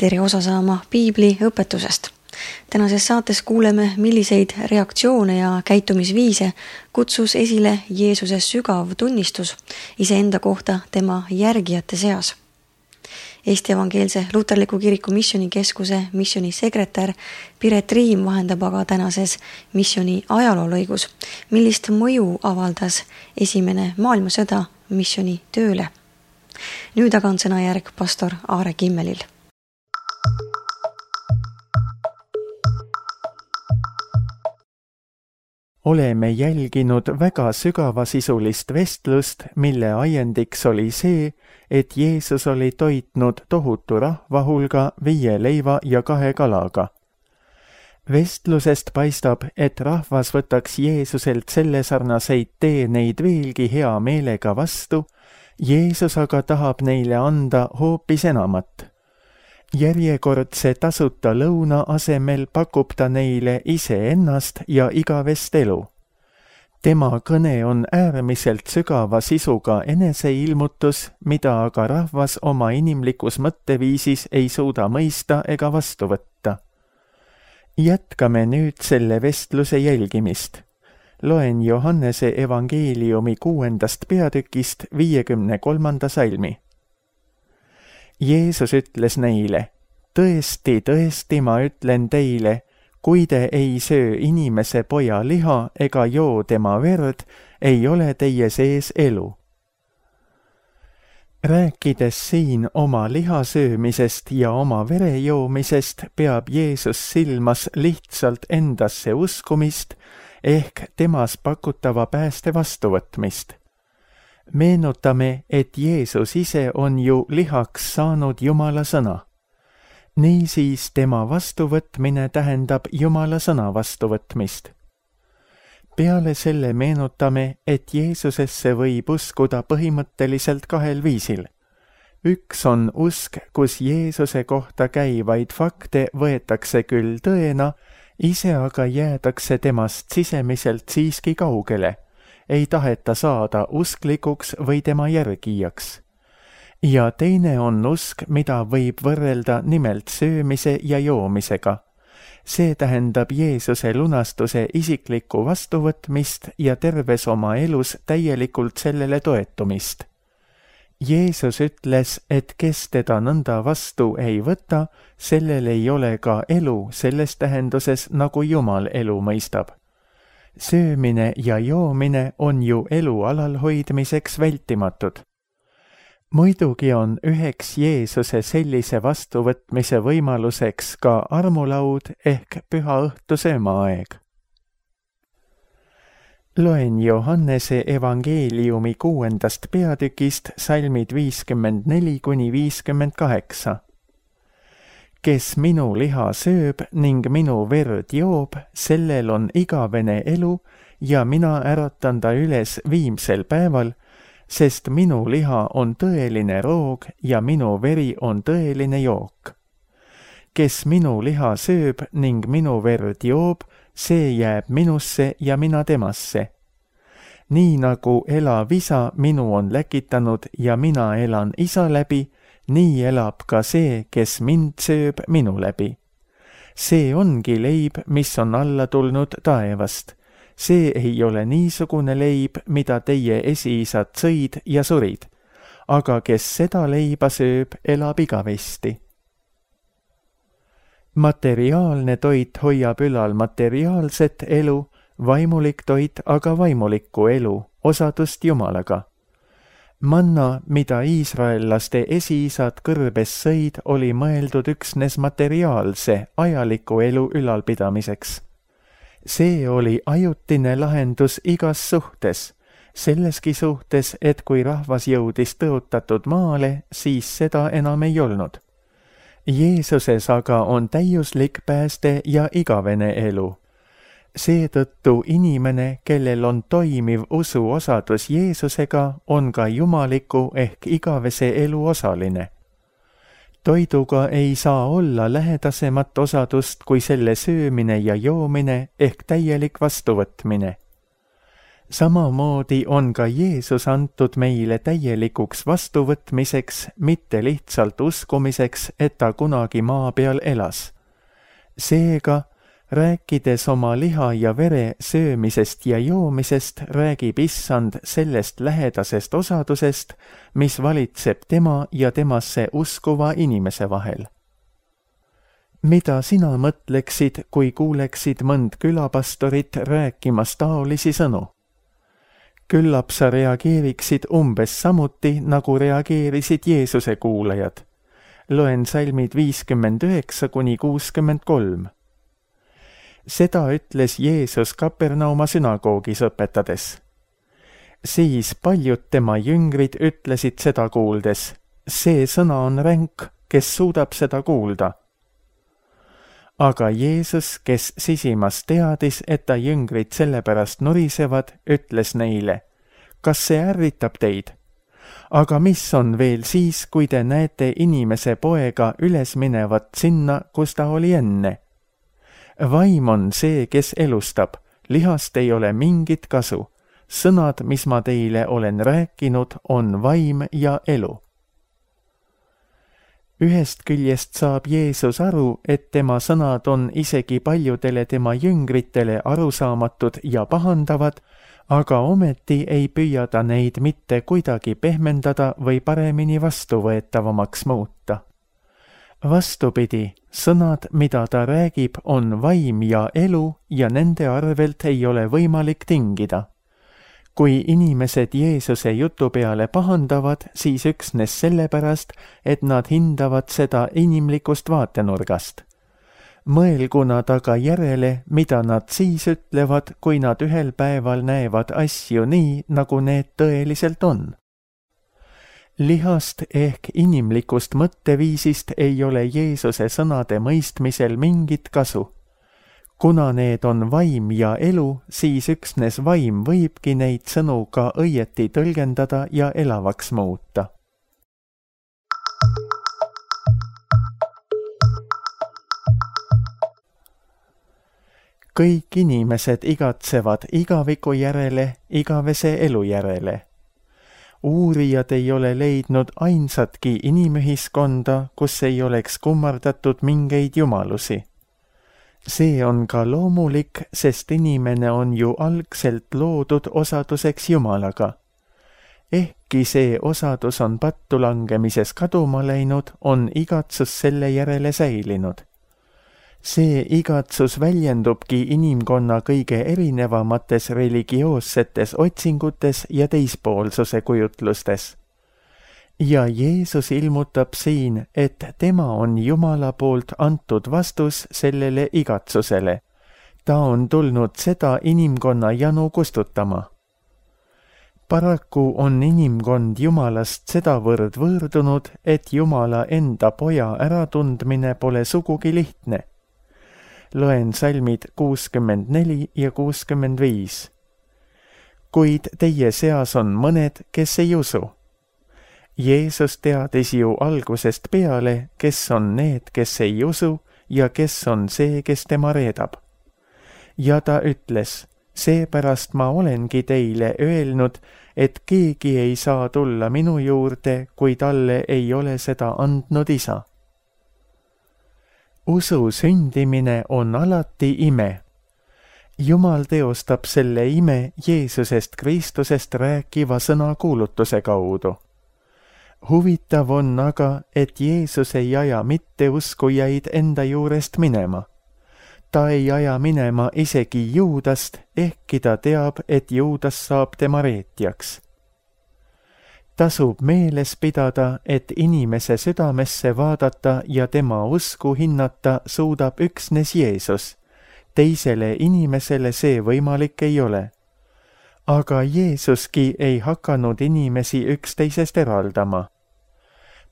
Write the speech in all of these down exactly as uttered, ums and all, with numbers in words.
tere osa saama piibli õpetusest. Tänases saates kuuleme, milliseid reaktsioone ja käitumisviise kutsus esile Jeesuse sügav tunnistus iseenda kohta tema järgijate seas. Eesti Evangeelse Luterliku Kiriku Missionikeskuse missionisekretär Piret Riim vahendab aga tänases missioni ajaloolõigus, millist mõju avaldas esimene maailmasõda missioni tööle. Nüüd aga on sõnajärg pastor Aare Kimmelil. Oleme jälginud väga sügavasisulist vestlust, mille ajendiks oli see, et Jeesus oli toitnud tohutu rahva hulga viie leiva ja kahe kalaga. Vestlusest paistab, et rahvas võtaks Jeesuselt selle sarnaseid teeneid veelgi hea meelega vastu, Jeesus aga tahab neile anda hoopis enamat. Järjekordse tasuta lõuna asemel pakub ta neile iseennast ja igavest elu. Tema kõne on äärmiselt sügava sisuga eneseilmutus, mida aga rahvas oma inimlikus mõtteviisis ei suuda mõista ega vastu võtta. Jätkame nüüd selle vestluse jälgimist. Loen Johannese evangeeliumi kuuendast peatükist viiekümne kolmanda salmi. Jeesus ütles neile, tõesti, tõesti ma ütlen teile, kui te ei söö inimese poja liha ega joo tema verd, ei ole teie sees elu. Rääkides siin oma liha söömisest ja oma vere joomisest, peab Jeesus silmas lihtsalt endasse uskumist ehk temas pakutava pääste vastuvõtmist. Meenutame, et Jeesus ise on ju lihaks saanud Jumala sõna. Niisiis tema vastuvõtmine tähendab Jumala sõna vastuvõtmist. Peale selle meenutame, et Jeesusesse võib uskuda põhimõtteliselt kahel viisil. Üks on usk, kus Jeesuse kohta käivaid fakte võetakse küll tõena, ise aga jäädakse temast sisemiselt siiski kaugele. Ei taheta saada usklikuks või tema järgijaks. Ja teine on usk, mida võib võrrelda nimelt söömise ja joomisega. See tähendab Jeesuse lunastuse isiklikku vastuvõtmist ja terves oma elus täielikult sellele toetumist. Jeesus ütles, et kes teda nõnda vastu ei võta, sellel ei ole ka elu selles tähenduses, nagu Jumal elu mõistab. Söömine ja joomine on ju elu alalhoidmiseks vältimatud. Muidugi on üheks Jeesuse sellise vastuvõtmise võimaluseks ka armulaud ehk püha õhtu söömaaeg. Loen Johannese evangeeliumi kuuendast peatükist salmid viiskümmend neli kuni viiskümmend kaheksa. Kes minu liha sööb ning minu verd joob, sellel on igavene elu ja mina äratan ta üles viimsel päeval, sest minu liha on tõeline roog ja minu veri on tõeline jook. Kes minu liha sööb ning minu verd joob, see jääb minusse ja mina temasse. Nii nagu elav isa minu on läkitanud ja mina elan isa läbi, nii elab ka see, kes mind sööb minu läbi. See ongi leib, mis on alla tulnud taevast. See ei ole niisugune leib, mida teie esiisad sõid ja surid. Aga kes seda leiba sööb, elab igavesti. Materiaalne toit hoiab ülal materiaalset elu, vaimulik toit aga vaimulikku elu, osadust Jumalaga. Manna, mida iisraellaste esiisad kõrbes sõid, oli mõeldud üksnes materiaalse, ajaliku elu ülalpidamiseks. See oli ajutine lahendus igas suhtes, selleski suhtes, et kui rahvas jõudis tõotatud maale, siis seda enam ei olnud. Jeesuses aga on täiuslik pääste ja igavene elu. Seetõttu inimene, kellel on toimiv usu osadus Jeesusega, on ka jumaliku ehk igavese elu osaline. Toiduga ei saa olla lähedasemat osadust kui selle söömine ja joomine ehk täielik vastuvõtmine. Samamoodi on ka Jeesus antud meile täielikuks vastuvõtmiseks, mitte lihtsalt uskumiseks, et ta kunagi maa peal elas. Seega, rääkides oma liha ja vere söömisest ja joomisest, räägib Issand sellest lähedasest osadusest, mis valitseb tema ja temasse uskuva inimese vahel. Mida sina mõtleksid, kui kuuleksid mõnd külapastorit rääkimas taolisi sõnu? Küllap sa reageeriksid umbes samuti, nagu reageerisid Jeesuse kuulajad. Loen salmid viiskümmend üheksa kuni kuuskümmend kolm. Seda ütles Jeesus Kapernauma sünagoogis õpetades. Siis paljud tema jüngrid ütlesid seda kuuldes, see sõna on ränk, kes suudab seda kuulda. Aga Jeesus, kes sisimas teadis, et ta jüngrid sellepärast nurisevad, ütles neile, kas see ärritab teid? Aga mis on veel siis, kui te näete inimese poega üles minevat sinna, kus ta oli enne? Vaim on see, kes elustab, lihast ei ole mingit kasu. Sõnad, mis ma teile olen rääkinud, on vaim ja elu. Ühest küljest saab Jeesus aru, et tema sõnad on isegi paljudele tema jüngritele arusaamatud ja pahandavad, aga ometi ei püüa ta neid mitte kuidagi pehmendada või paremini vastuvõetavamaks muuta. Vastupidi, sõnad, mida ta räägib, on vaim ja elu ja nende arvelt ei ole võimalik tingida. Kui inimesed Jeesuse jutu peale pahandavad, siis üksnes sellepärast, et nad hindavad seda inimlikust vaatenurgast. Mõelgu nad aga järele, mida nad siis ütlevad, kui nad ühel päeval näevad asju nii, nagu need tõeliselt on. Lihast ehk inimlikust mõtteviisist ei ole Jeesuse sõnade mõistmisel mingit kasu. Kuna need on vaim ja elu, siis üksnes vaim võibki neid sõnu ka õieti tõlgendada ja elavaks muuta. Kõik inimesed igatsevad igaviku järele, igavese elu järele. Uurijad ei ole leidnud ainsatki inimühiskonda, kus ei oleks kummardatud mingeid jumalusi. See on ka loomulik, sest inimene on ju algselt loodud osaduseks Jumalaga. Ehkki see osadus on pattu langemises kaduma läinud, on igatsus selle järele säilinud. See igatsus väljendubki inimkonna kõige erinevamates religioossetes otsingutes ja teispoolsuse kujutlustes. Ja Jeesus ilmutab siin, et tema on Jumala poolt antud vastus sellele igatsusele. Ta on tulnud seda inimkonna janu kustutama. Paraku on inimkond Jumalast sedavõrd võõrdunud, et Jumala enda poja äratundmine pole sugugi lihtne. Loen salmid kuuskümmend neli ja kuuskümmend viis. Kuid teie seas on mõned, kes ei usu. Jeesus teadis ju algusest peale, kes on need, kes ei usu ja kes on see, kes tema reedab. Ja ta ütles, seepärast ma olengi teile öelnud, et keegi ei saa tulla minu juurde, kui talle ei ole seda andnud isa. Usu sündimine on alati ime. Jumal teostab selle ime Jeesusest Kristusest rääkiva sõna kuulutuse kaudu. Huvitav on aga, et Jeesus ei aja mitte uskujaid enda juurest minema. Ta ei aja minema isegi Juudast, ehkki ta teab, et Juudas saab tema reetjaks. Tasub meeles pidada, et inimese südamesse vaadata ja tema usku hinnata suudab üksnes Jeesus. Teisele inimesele see võimalik ei ole. Aga Jeesuski ei hakanud inimesi üksteisest eraldama.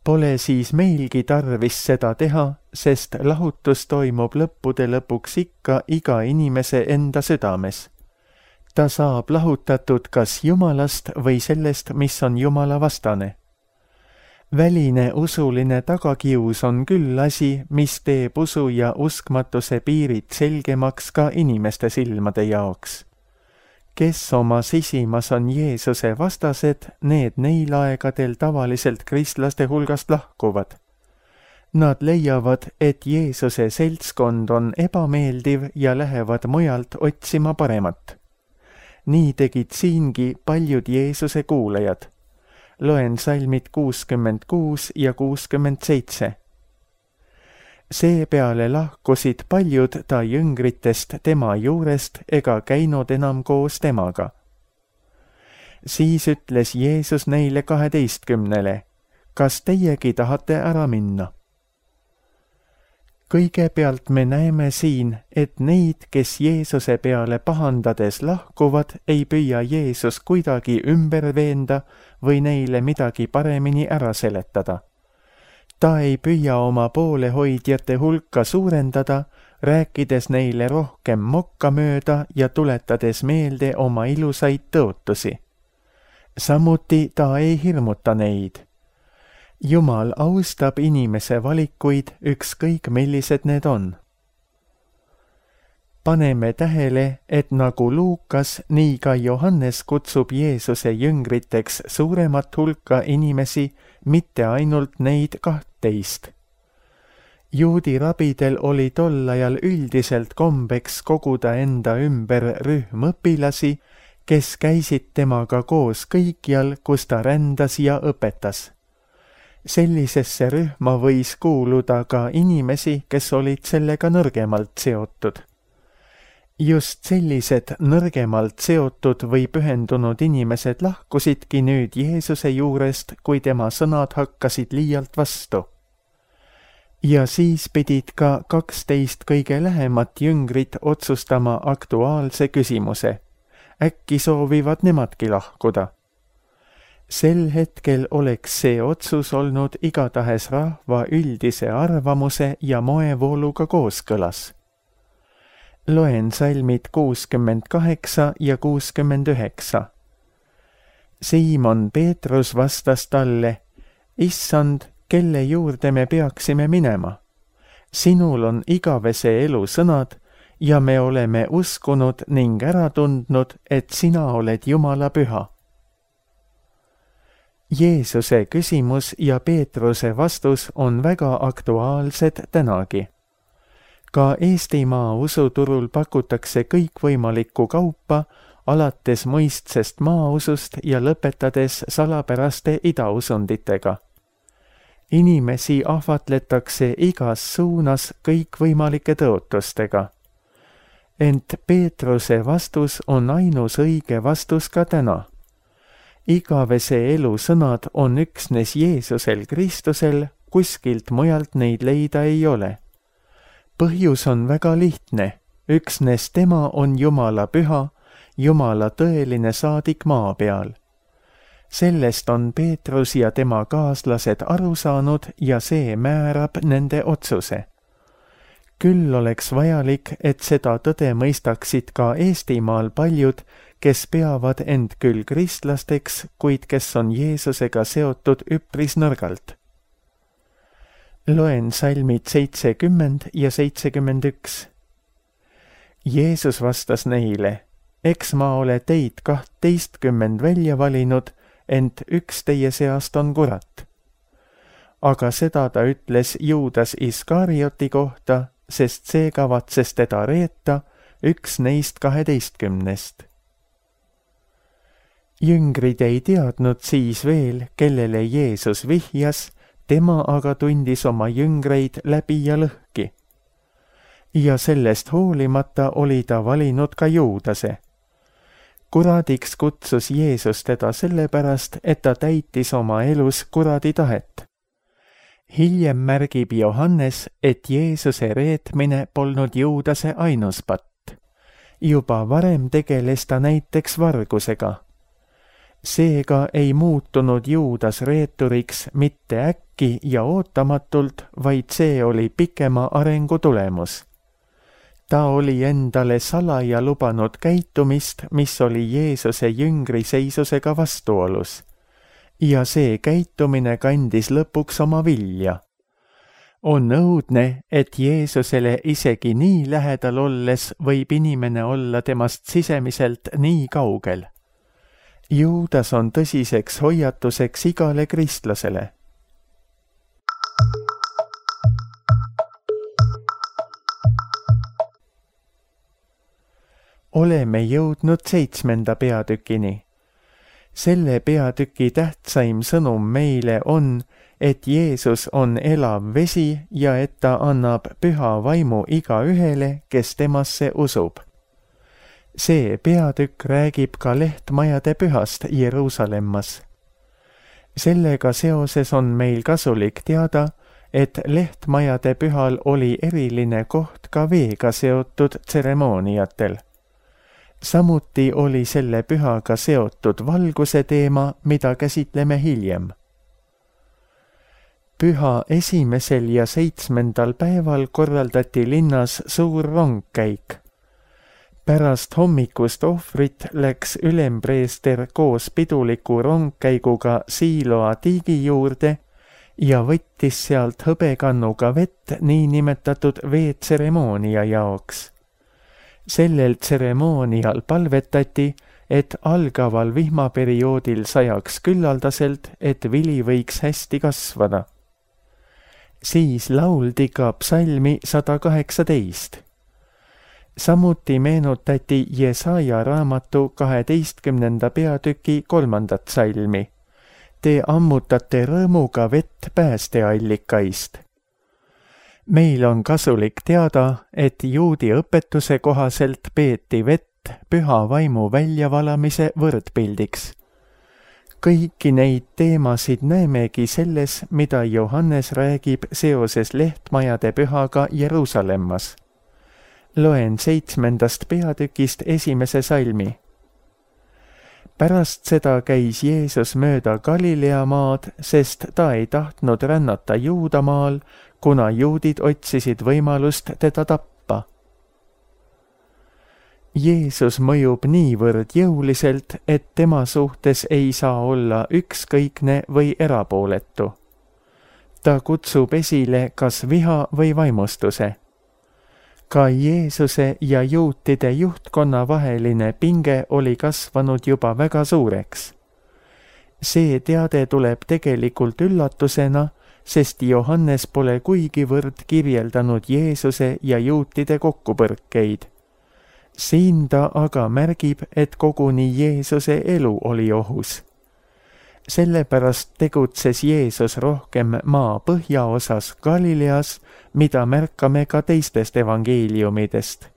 Pole siis meilgi tarvis seda teha, sest lahutus toimub lõppude lõpuks ikka iga inimese enda südames. Ta saab lahutatud kas Jumalast või sellest, mis on Jumala vastane. Väline usuline tagakius on küll asi, mis teeb usu ja uskmatuse piirid selgemaks ka inimeste silmade jaoks. kes oma sisimas on Jeesuse vastased, need neil aegadel tavaliselt kristlaste hulgast lahkuvad. Nad leiavad, et Jeesuse seltskond on ebameeldiv ja lähevad mujalt otsima paremat. Nii tegid siingi paljud Jeesuse kuulajad. Loen salmid kuuskümmend kuus ja kuuskümmend seitse. Seepeale lahkusid paljud ta jüngritest tema juurest ega käinud enam koos temaga. Siis ütles Jeesus neile kaheteistkümnele, kas teiegi tahate ära minna? Kõigepealt me näeme siin, et neid, kes Jeesuse peale pahandades lahkuvad, ei püüa Jeesus kuidagi ümber veenda või neile midagi paremini ära seletada. Ta ei püüa oma poolehoidjate hulka suurendada, rääkides neile rohkem mokka mööda ja tuletades meelde oma ilusaid tõotusi. Samuti ta ei hirmuta neid. Jumal austab inimese valikuid, ükskõik millised need on. Paneme tähele, et nagu Luukas, nii ka Johannes kutsub Jeesuse jüngriteks suuremat hulka inimesi, mitte ainult neid kahtteist. Juudi rabidel oli tol ajal üldiselt kombeks koguda enda ümber rühm õpilasi, kes käisid temaga koos kõikjal, kus ta rändas ja õpetas. Sellisesse rühma võis kuuluda ka inimesi, kes olid sellega nõrgemalt seotud. Just sellised nõrgemalt seotud või pühendunud inimesed lahkusidki nüüd Jeesuse juurest, kui tema sõnad hakkasid liialt vastu. Ja siis pidid ka kaksteist kõige lähemat jüngrit otsustama aktuaalse küsimuse. Äkki soovivad nemadki lahkuda? Sel hetkel oleks see otsus olnud igatahes rahva üldise arvamuse ja moevooluga kooskõlas. Loen salmid kuuskümmend kaheksa ja kuuskümmend üheksa. Siimon Peetrus vastas talle, Issand, kelle juurde me peaksime minema? Sinul on igavese elu sõnad ja me oleme uskunud ning ära tundnud, et sina oled Jumala püha. Jeesuse küsimus ja Peetruse vastus on väga aktuaalsed tänagi. Ka Eestimaa usuturul pakutakse kõikvõimalikku kaupa, alates mõistsest maausust ja lõpetades salapäraste idausunditega. Inimesi ahvatletakse igas suunas kõikvõimalike tõotustega. Ent Peetruse vastus on ainus õige vastus ka täna. Igavese elu sõnad on üksnes Jeesusel Kristusel, kuskilt mujalt neid leida ei ole. Põhjus on väga lihtne, üksnes tema on Jumala püha, Jumala tõeline saadik maa peal. Sellest on Peetrus ja tema kaaslased aru saanud ja see määrab nende otsuse. Küll oleks vajalik, et seda tõde mõistaksid ka Eestimaal paljud, kes peavad end küll kristlasteks, kuid kes on Jeesusega seotud üpris nõrgalt. Loen salmid seitsekümmend ja seitsekümmend üks. Jeesus vastas neile, eks ma ole teid kahtteistkümmend välja valinud, ent üks teie seast on kurat. Aga seda ta ütles Juudas Iskarioti kohta, sest see kavatses teda reeta, üks neist kaheteistkümnest. Jüngrid ei teadnud siis veel, kellele Jeesus vihjas, tema aga tundis oma jüngreid läbi ja lõhki. Ja sellest hoolimata oli ta valinud ka Juudase. Kuradiks kutsus Jeesus teda sellepärast, et ta täitis oma elus kuradi tahet. Hiljem märgib Johannes, et Jeesuse reetmine polnud Juudase ainus patt. Juba varem tegeles ta näiteks vargusega. Seega ei muutunud Juudas reeturiks mitte äkki ja ootamatult, vaid see oli pikema arengu tulemus. Ta oli endale salaja lubanud käitumist, mis oli Jeesuse jüngri seisusega vastuolus. Ja see käitumine kandis lõpuks oma vilja. On õudne, et Jeesusele isegi nii lähedal olles võib inimene olla temast sisemiselt nii kaugel. Juudas on tõsiseks hoiatuseks igale kristlasele. Oleme jõudnud seitsmenda peatükini. Selle peatüki tähtsaim sõnum meile on, et Jeesus on elav vesi ja et ta annab püha vaimu igaühele, kes temasse usub. See peatükk räägib ka lehtmajade pühast Jeruusalemmas. Sellega seoses on meil kasulik teada, et lehtmajade pühal oli eriline koht ka veega seotud tseremooniatel. Samuti oli selle pühaga seotud valguse teema, mida käsitleme hiljem. Püha esimesel ja seitsmendal päeval korraldati linnas suur rongkäik. Pärast hommikust ohvrit läks ülempreester koos piduliku rongkäiguga Siiloa tiigi juurde ja võttis sealt hõbekannuga vett niinimetatud veetseremoonia jaoks. Sellel tseremoonial palvetati, et algaval vihmaperioodil sajaks küllaldaselt, et vili võiks hästi kasvada. Siis lauldi ka psalmi sada kaheksateist. Samuti meenutati Jesaja raamatu kaheteistkümnenda peatüki kolmandat psalmi. Te ammutate rõõmuga vett päästeallikaist. Meil on kasulik teada, et juudi õpetuse kohaselt peeti vett püha vaimu väljavalamise võrdpildiks. Kõiki neid teemasid näemegi selles, mida Johannes räägib seoses lehtmajade pühaga Jeruusalemmas. Loen seitsmendast peatükist esimese salmi. Pärast seda käis Jeesus mööda Galilea maad, sest ta ei tahtnud rännata Juudamaal, kuna juudid otsisid võimalust teda tappa. Jeesus mõjub niivõrd jõuliselt, et tema suhtes ei saa olla ükskõikne või erapooletu. Ta kutsub esile kas viha või vaimustuse. Ka Jeesuse ja juutide juhtkonna vaheline pinge oli kasvanud juba väga suureks. See teade tuleb tegelikult üllatusena, sest Johannes pole kuigivõrd kirjeldanud Jeesuse ja juutide kokkupõrkeid. Siin ta aga märgib, et koguni Jeesuse elu oli ohus. Sellepärast tegutses Jeesus rohkem maa põhjaosas Galileas, mida märkame ka teistest evangeeliumidest.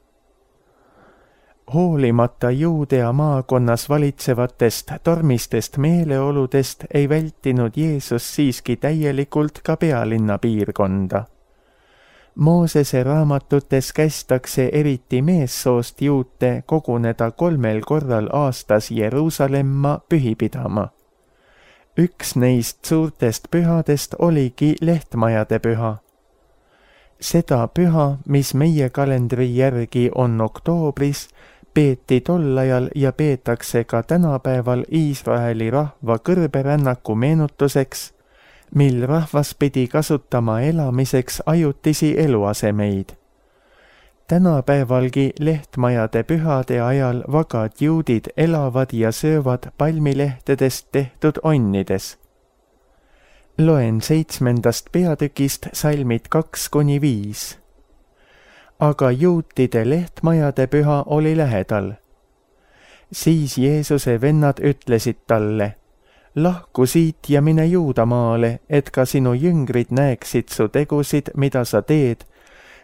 Hoolimata Juudea maakonnas valitsevatest tormistest meeleoludest ei vältinud Jeesus siiski täielikult ka pealinna piirkonda. Moosese raamatutes kästakse eriti meessoost juute koguneda kolmel korral aastas Jeruusalemma pühi pidama. Üks neist suurtest pühadest oligi lehtmajade püha. Seda püha, mis meie kalendri järgi on oktoobris, peeti tol ajal ja peetakse ka tänapäeval Iisraeli rahva kõrberännaku meenutuseks, mil rahvas pidi kasutama elamiseks ajutisi eluasemeid. Tänapäevalgi lehtmajade pühade ajal vagad juudid elavad ja söövad palmilehtedest tehtud onnides. Loen seitsmendast peatükist salmid kaks kuni viis. Aga juutide lehtmajade püha oli lähedal. Siis Jeesuse vennad ütlesid talle, lahku siit ja mine Juudamaale, et ka sinu jüngrid näeksid su tegusid, mida sa teed,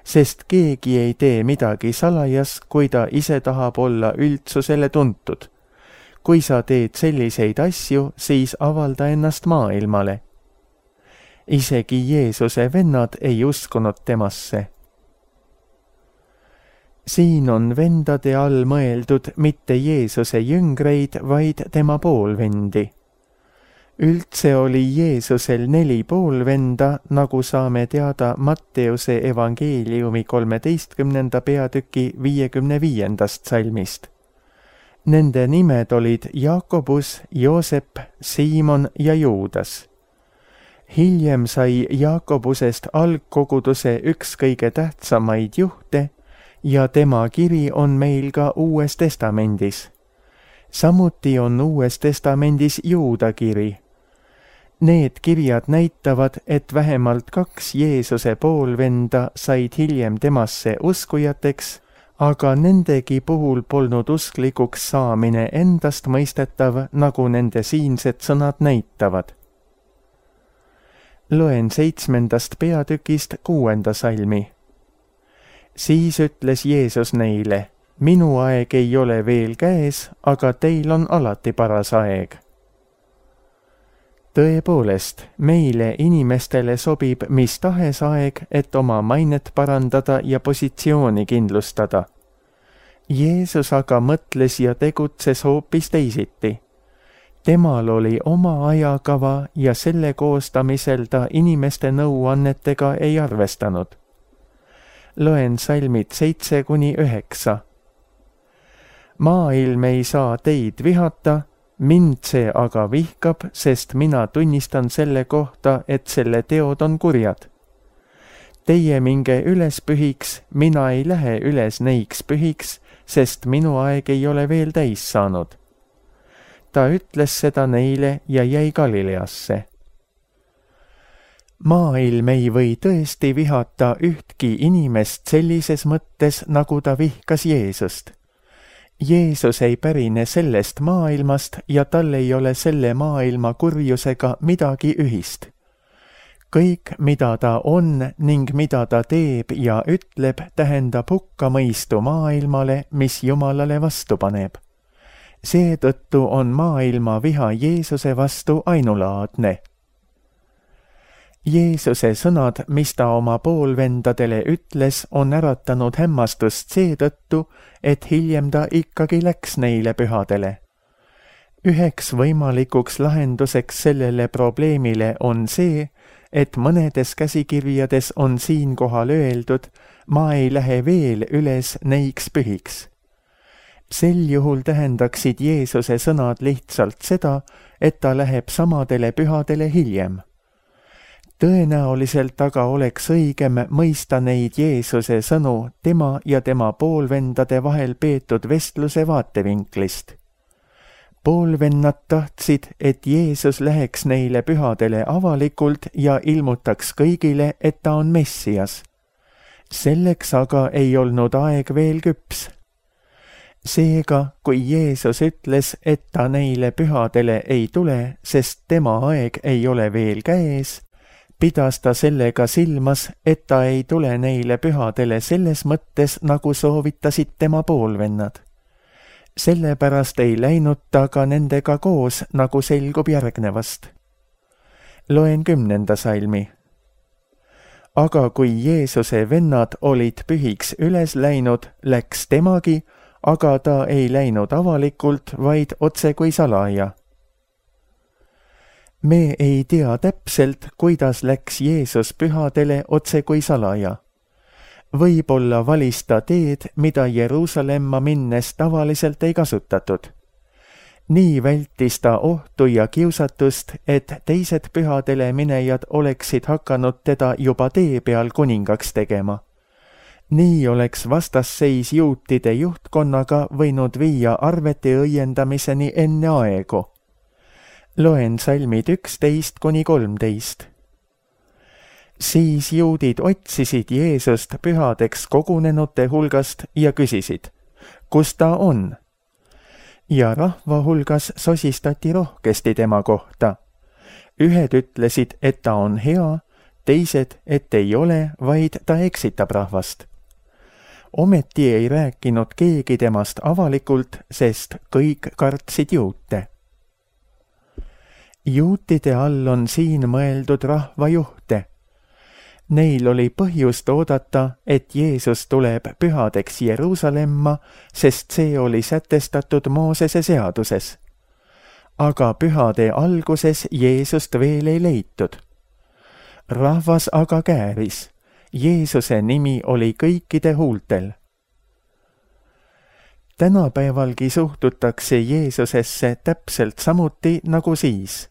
sest keegi ei tee midagi salajas, kui ta ise tahab olla üldsusele tuntud. Kui sa teed selliseid asju, siis avalda ennast maailmale. Isegi Jeesuse vennad ei uskunud temasse. Siin on vendade all mõeldud mitte Jeesuse jüngreid, vaid tema poolvendi. Üldse oli Jeesusel neli poolvenda, nagu saame teada Matteuse evangeeliumi kolmeteistkümnenda peatüki viiekümne viiendast salmist. Nende nimed olid Jaakobus, Joosep, Siimon ja Juudas. hiljem sai Jaakobusest algkoguduse üks kõige tähtsamaid juhte ja tema kiri on meil ka Uues Testamendis. Samuti on Uues Testamendis Juuda kiri. Need kirjad näitavad, et vähemalt kaks Jeesuse poolvenda said hiljem temasse uskujateks, aga nendegi puhul polnud usklikuks saamine endast mõistetav, nagu nende siinsed sõnad näitavad. Loen seitsmendast peatükist kuuenda salmi. Siis ütles Jeesus neile, minu aeg ei ole veel käes, aga teil on alati paras aeg. Tõepoolest, meile inimestele sobib mis tahes aeg, et oma mainet parandada ja positsiooni kindlustada. Jeesus aga mõtles ja tegutses hoopis teisiti. Temal oli oma ajakava ja selle koostamisel ta inimeste nõuannetega ei arvestanud. Loen salmid seitse kuni üheksa. Maailm ei saa teid vihata, mind see aga vihkab, sest mina tunnistan selle kohta, et selle teod on kurjad. Teie minge üles pühiks, mina ei lähe üles neiks pühiks, sest minu aeg ei ole veel täis saanud. Ta ütles seda neile ja jäi Galileasse. Maailm ei või tõesti vihata ühtki inimest sellises mõttes, nagu ta vihkas Jeesust. Jeesus ei pärine sellest maailmast ja tal ei ole selle maailma kurjusega midagi ühist. Kõik, mida ta on ning mida ta teeb ja ütleb, tähendab hukkamõistu maailmale, mis Jumalale vastu paneb. Seetõttu on maailma viha Jeesuse vastu ainulaadne. Jeesuse sõnad, mis ta oma poolvendadele ütles, on äratanud hämmastust seetõttu, et hiljem ta ikkagi läks neile pühadele. Üheks võimalikuks lahenduseks sellele probleemile on see, et mõnedes käsikirjades on siinkohal öeldud, ma ei lähe veel üles neiks pühiks. Sel juhul tähendaksid Jeesuse sõnad lihtsalt seda, et ta läheb samadele pühadele hiljem. Tõenäoliselt aga oleks õigem mõista neid Jeesuse sõnu tema ja tema poolvendade vahel peetud vestluse vaatevinklist. Poolvennad tahtsid, et Jeesus läheks neile pühadele avalikult ja ilmutaks kõigile, et ta on Messias. Selleks aga ei olnud aeg veel küps. Seega, kui Jeesus ütles, et ta neile pühadele ei tule, sest tema aeg ei ole veel käes, pidas ta sellega silmas, et ta ei tule neile pühadele selles mõttes, nagu soovitasid tema poolvennad. Sellepärast ei läinud ta ka nendega koos, nagu selgub järgnevast. Loen kümnenda salmi. Aga kui Jeesuse vennad olid pühiks üles läinud, läks temagi, aga ta ei läinud avalikult, vaid otse kui salaja. Me ei tea täpselt, kuidas läks Jeesus pühadele otse kui salaja. Võib-olla valis ta teed, mida Jeruusalemma minnes tavaliselt ei kasutatud. Nii vältis ta ohtu ja kiusatust, et teised pühadele minejad oleksid hakanud teda juba tee peal kuningaks tegema. Nii oleks vastasseis juutide juhtkonnaga võinud viia arvete õiendamiseni enne aegu. Loen salmid üksteist kuni kolmteist. Siis juudid otsisid Jeesust pühadeks kogunenute hulgast ja küsisid, kus ta on? Ja rahva hulgas sosistati rohkesti tema kohta. Ühed ütlesid, et ta on hea, teised, et ei ole, vaid ta eksitab rahvast. Ometi ei rääkinud keegi temast avalikult, sest kõik kartsid juute. Juutide all on siin mõeldud rahvajuhte. Neil oli põhjust oodata, et Jeesus tuleb pühadeks Jeruusalemma, sest see oli sätestatud Moosese seaduses. Aga pühade alguses Jeesust veel ei leitud. Rahvas aga kääris. Jeesuse nimi oli kõikide huultel. Tänapäevalgi suhtutakse Jeesusesse täpselt samuti nagu siis.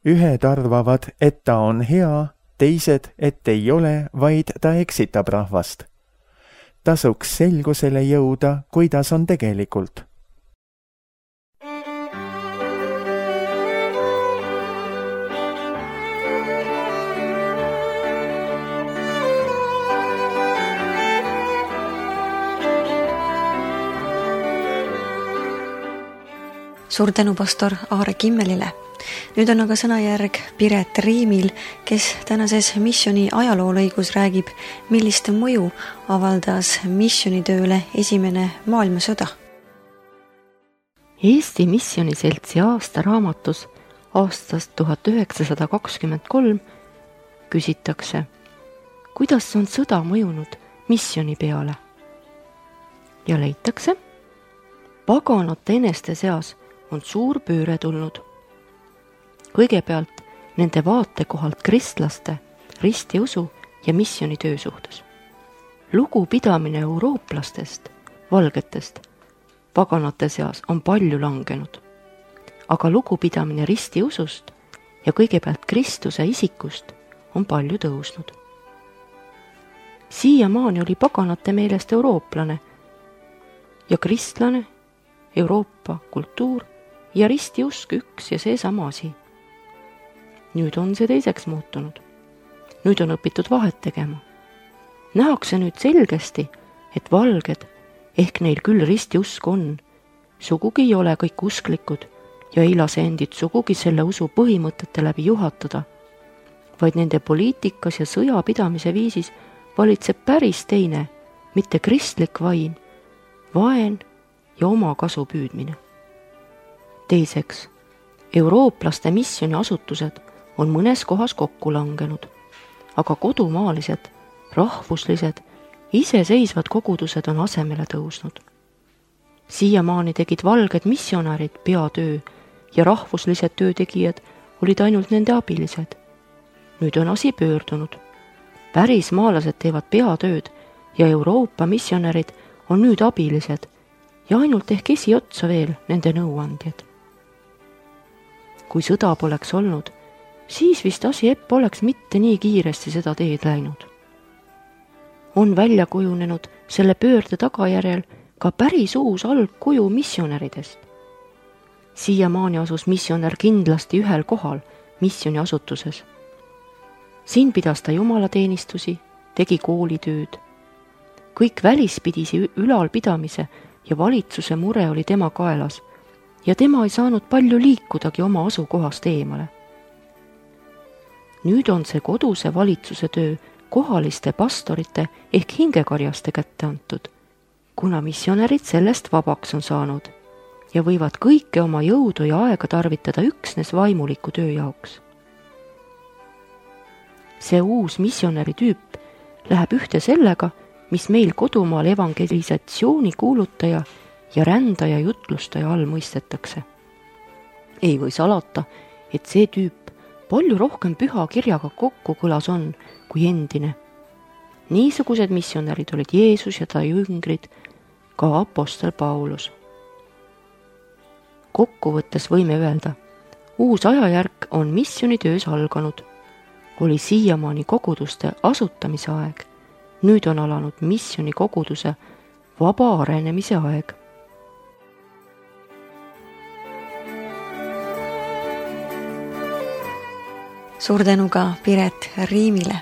ühed arvavad, et ta on hea, teised, et ei ole, vaid ta eksitab rahvast. Tasuks selgusele jõuda, kuidas on tegelikult. Suur tänu pastor Aare Kimmelile. Nüüd on aga sõnajärg Piret Riimil, kes tänases missiooni ajaloolõigus räägib, millist mõju avaldas missionitööle esimene maailmasõda. Eesti Missioniseltsi aastaraamatus aastast tuhat üheksasada kakskümmend kolm küsitakse, kuidas on sõda mõjunud missioni peale? Ja leitakse, paganate eneste seas on suur pööre tulnud. Kõigepealt nende vaatekohalt kristlaste, ristiusu ja missionitöö suhtes. Lugupidamine eurooplastest, valgetest, paganate seas on palju langenud. Aga lugupidamine ristiusust ja kõigepealt Kristuse isikust on palju tõusnud. Siiamaani oli paganate meelest eurooplane ja kristlane, Euroopa kultuur ja ristiusk üks ja see sama asi. Nüüd on see teiseks muutunud. Nüüd on õpitud vahet tegema. Nähakse nüüd selgesti, et valged, ehk neil küll ristiusk on, sugugi ei ole kõik usklikud ja ei lase endid sugugi selle usu põhimõtete läbi juhatada, vaid nende poliitikas ja sõjapidamise viisis valitseb päris teine, mitte kristlik vaim, vaen ja oma kasu püüdmine. Teiseks, eurooplaste missioniasutused on mõnes kohas kokku langenud, aga kodumaalised, rahvuslised, iseseisvad kogudused on asemele tõusnud. Siiamaani tegid valged missionärid peatöö ja rahvuslised töötegijad olid ainult nende abilised. Nüüd on asi pöördunud. Päris maalased teevad peatööd ja Euroopa missionärid on nüüd abilised ja ainult ehk esiotsa veel nende nõuandjad. Kui sõda poleks olnud, siis vist asi epp oleks mitte nii kiiresti seda teed läinud. On välja kujunenud selle pöörde tagajärjel ka päris uus algkuju missionäridest. Siiamaani asus missionär kindlasti ühel kohal missioniasutuses. Siin pidas ta jumalateenistusi, tegi koolitööd. Kõik välispidisi ülalpidamise ja valitsuse mure oli tema kaelas ja tema ei saanud palju liikudagi oma asukohast eemale. Nüüd on see koduse valitsuse töö kohaliste pastorite ehk hingekarjaste kätte antud, kuna missionärid sellest vabaks on saanud ja võivad kõike oma jõudu ja aega tarvitada üksnes vaimuliku töö jaoks. See uus missionäri tüüp läheb ühte sellega, mis meil kodumaal evangelisatsiooni kuulutaja ja rändaja jutlustaja all mõistetakse. Ei või salata, et see tüüp palju rohkem püha kirjaga kokku kõlas on kui endine. Niisugused missionärid olid Jeesus ja ta jüngrid, ka apostel Paulus. Kokkuvõttes võime öelda, uus ajajärk on missionitöös alganud. Oli siiamaani koguduste asutamise aeg, nüüd on alanud missioni koguduse vaba arenemise aeg. Suur tänu ka Piret Riimile.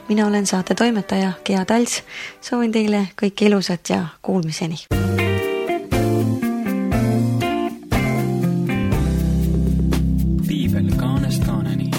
Mina olen saate toimetaja Gea Tals. Soovin teile kõike ilusat ja kuulmiseni. Piibel kaanest kaaneni.